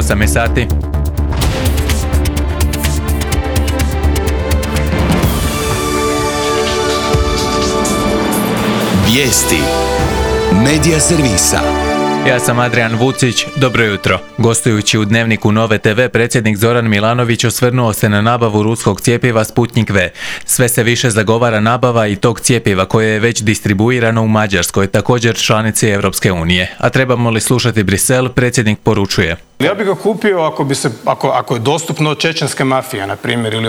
8 je sati. Vijesti Medija servisa. Ja sam Adrian Vucić, dobro jutro. Gostujući u Dnevniku Nove TV, predsjednik Zoran Milanović osvrnuo se na nabavu ruskog cjepiva Sputnik V. Sve se više zagovara nabava i tog cjepiva koje je već distribuirano u Mađarskoj, također članici Europske unije. A trebamo li slušati Brisel, predsjednik poručuje. Ja bih ga kupio ako je dostupno od čečenske mafije, na primjer, ili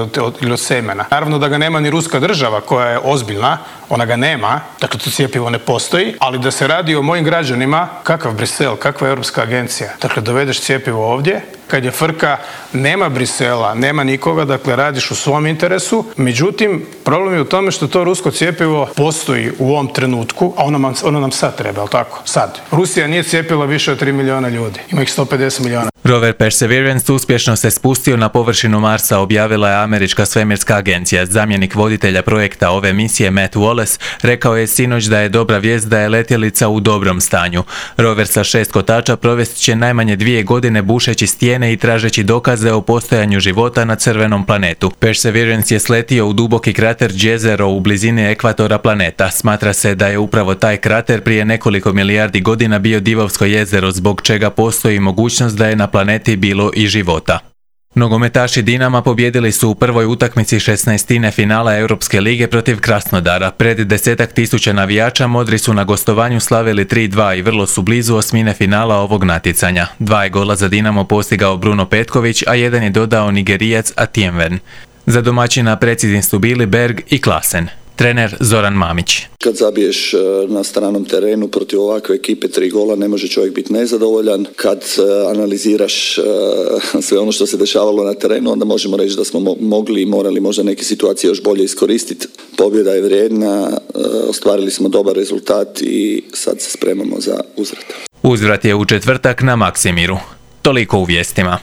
od semena. Naravno da ga nema ni ruska država koja je ozbiljna, ona ga nema, dakle to cjepivo ne postoji, ali da se radi o mojim građanima, kakav Brisel, kakva Europska agencija. Dakle, dovedeš cjepivo ovdje, kad je frka, nema Brisela, nema nikoga, dakle radiš u svom interesu. Međutim, problem je u tome što to rusko cjepivo postoji u ovom trenutku, a ono nam sad treba, jel tako? Sad. Rusija nije cijepila više od 3 milijuna ljudi, ima ih 150 milijuna. Rover Perseverance uspješno se spustio na površinu Marsa, objavila je američka svemirska agencija. Zamjenik voditelja projekta ove misije Matt Wallace rekao je sinoć da je dobra vijest da je letjelica u dobrom stanju. Rover sa 6 kotača provest će najmanje 2 godine bušeći stijene i tražeći dokaze o postojanju života na crvenom planetu. Perseverance je sletio u duboki krater Jezero u blizini ekvatora planeta. Smatra se da je upravo taj krater prije nekoliko milijardi godina bio Divovsko jezero, zbog čega postoji mogućnost da je na planeti bilo i života. Nogometaši Dinama pobijedili su u prvoj utakmici 16. finala Europske lige protiv Krasnodara. Pred 10.000 navijača modri su na gostovanju slavili 3-2 i vrlo su blizu osmine finala ovog natjecanja. 2 je gola za Dinamo postigao Bruno Petković, a 1 je dodao Nigerijac Atienven. Za domaćina precizni su bili Berg i Klasen. Trener Zoran Mamić. Kad zabiješ na stranom terenu protiv ovakve ekipe 3 gola, ne može čovjek biti nezadovoljan. Kad analiziraš sve ono što se dešavalo na terenu, onda možemo reći da smo mogli i morali možda neke situacije još bolje iskoristiti. Pobjeda je vrijedna, ostvarili smo dobar rezultat i sad se spremamo za uzvrat. Uzvrat je u četvrtak na Maksimiru. Toliko u vijestima.